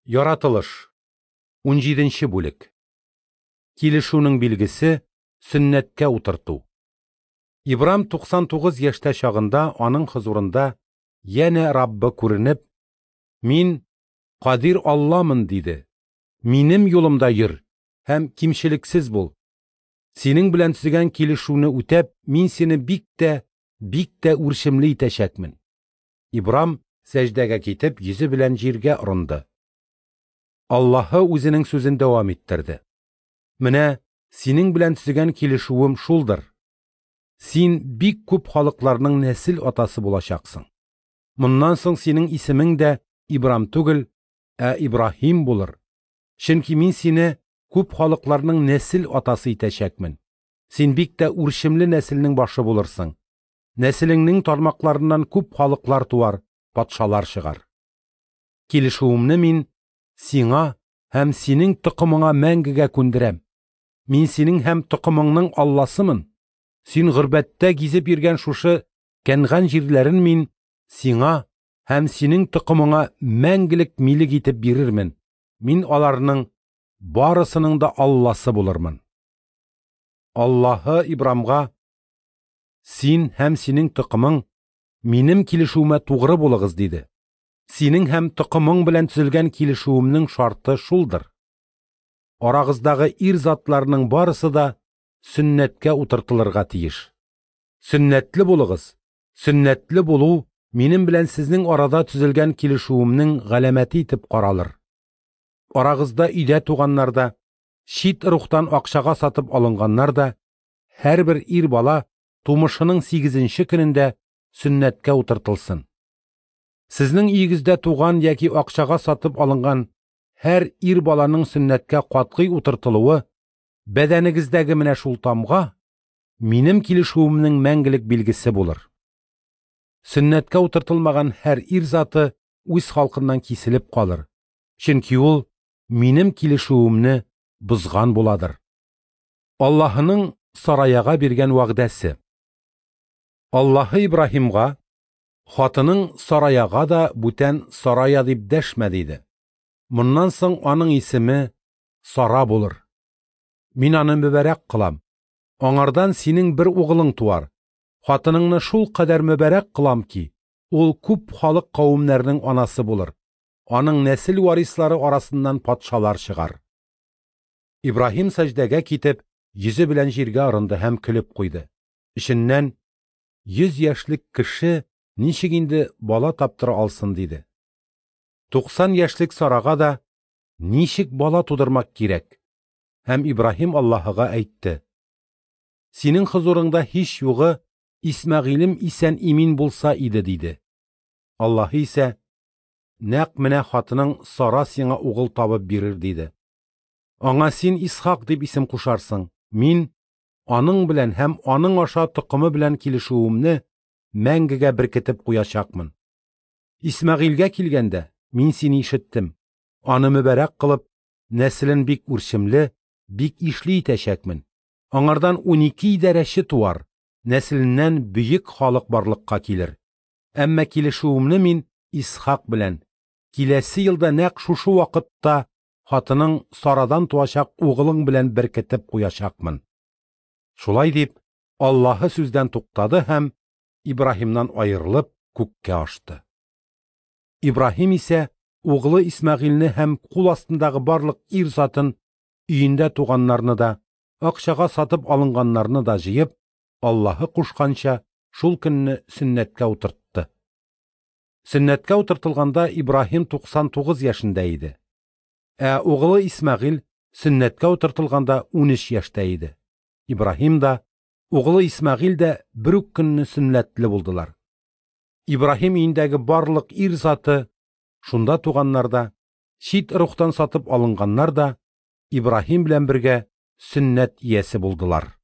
Яратылыш. 17 бүлек. Килешүнең билгесе сөннәткә утырту. Ибрам 99 яшьтә чагында аның хозурында янә Раббы күренеп, Мин Кадир Алламын, диде. Минем юлымда йөр һәм кимчелексез бул. Синең белән төзегән килешүне үтәп, мин сине бик тә, бик тә үрчемле итәчәкмен. Ибрам сәҗдәгә китеп, йөзе белән җиргә орынды. Аллаһы үзенең сүзен дәвам иттерде. Менә синең белән төзегән килешүем шулдыр. Син бик күп халыкларның нәсел атасы булачаксың. Моннан соң синең исемең дә Ибрам түгел, ә Ибраһим булыр. Чөнки мин сине күп халыкларның нәсел атасы итәчәкмен. Син бик тә үрчемле нәселнең башы булырсың. Нәселеңнең тармакларыннан күп халыклар туар, патшалар чыгар. Килешүемне мин сиңа һәм синең токымыңа мәңгегә күндерәм. Мин синең һәм токымыңның Алласымын. Син горбәттә гизеп йөргән шушы Кәнган җирләрен мин сиңа һәм синең токымыңа мәңгелек милек итеп бирермен. Мин аларның барысының да Алласы булырмын. Аллаһы Ибрамга: Син һәм синең токымың минем килешүемә тугры булыгыз, диде. Синең һәм токымың белән төзелгән килешүемнең шарты шулдыр. Арагыздагы ир затларның барысы да сөннәткә утыртылырга тиеш. Сөннәтле булыгыз. Сөннәтле булу минем белән сезнең арада төзелгән килешүемнең галәмәте итеп каралыр. Арагызда өйдә туганнар да, чит рухтан акчага сатып алынганнар да, һәрбер ир бала тумышының 8-нче көнендә сөннәткә утыртылсын. Сезнең өегездә туган яки акчага сатып алынган һәр ир баланың сөннәткә катгый утыртылуы, бәдәнегездәге менә шул тамга минем килешүемнең мәңгелек билгесе булыр. Сөннәткә утыртылмаган һәр ир заты үз халкыннан киселеп калыр, чөнки ул минем килешүемне бозган буладыр. Аллаһының Сараяга биргән вәгъдәсе. Аллаһы Ибраһимга: Хатының Сараяга да бүтән Сарая дип дәшмә, диде. Моннан соң аның исеме Сара булыр. Мин аны мөбарәк кылам. Аңардан синең бер угылың туар. Хатыныңны шул кадәр мөбарәк кылам ки, ул күп халык кавемнәрнең анасы булыр. Аның нәсел варислары арасыннан патшалар чыгар. Ибраһим сәҗдәгә китеп, йөзе белән җиргә орынды һәм көлеп куйды. Эченнән: 100 яшьлек кеше ничек инде бала таптыра алсын, диде. 90 яшьлек Сарага да ничек бала тудырмак кирәк? Һәм Ибраһим Аллаһыга әйтте: Синең хозурыңда һич югы Исмәгыйлем исән имин булса иде, диде. Аллаһы исә: Нәкъ менә хатының Сара сиңа угыл табып бирер, диде. Аңа син Исхак дип исем кушарсың. Мин аның белән һәм аның аша токымы белән килешүемне мәңгегә беркетеп куячакмын. Исмәгыйлгә килгәндә, мин сине ишеттем. Аны мөбарәк кылып, нәселен бик үрчемле, бик ишле итәчәкмен. Аңардан 12 идарәче туар, нәселеннән бөек халык барлыкка килер. Әмма килешүемне мин Исхак белән киләсе елда нәкъ шушы вакытта хатының Сарадан туачак угылың белән беркетеп куячакмын. Шулай дип, Аллаһы сүздән туктады һәм Ибраһимнан аерылып күккә ашты. Ибраһим исә углы Исмәгыйльне һәм кул астындагы барлык ир затын, өендә туганнарны да, акчага сатып алынганнарны да җыеп, Аллаһы кушканча шул көнне сөннәткә утыртты. Сөннәткә утыртылганда Ибраһим 99 яшендә иде. Ә углы Исмәгыйль сөннәткә утыртылганда 13 яшьтә иде. Ибраһим да, углы Исмәгыйль дә бер үк көнне сөннәтле булдылар. Ибраһим өендәге барлык ир заты, шунда туганнар да, чит рухтан сатып алынганнар да, Ибраһим белән бергә сөннәт иясе булдылар.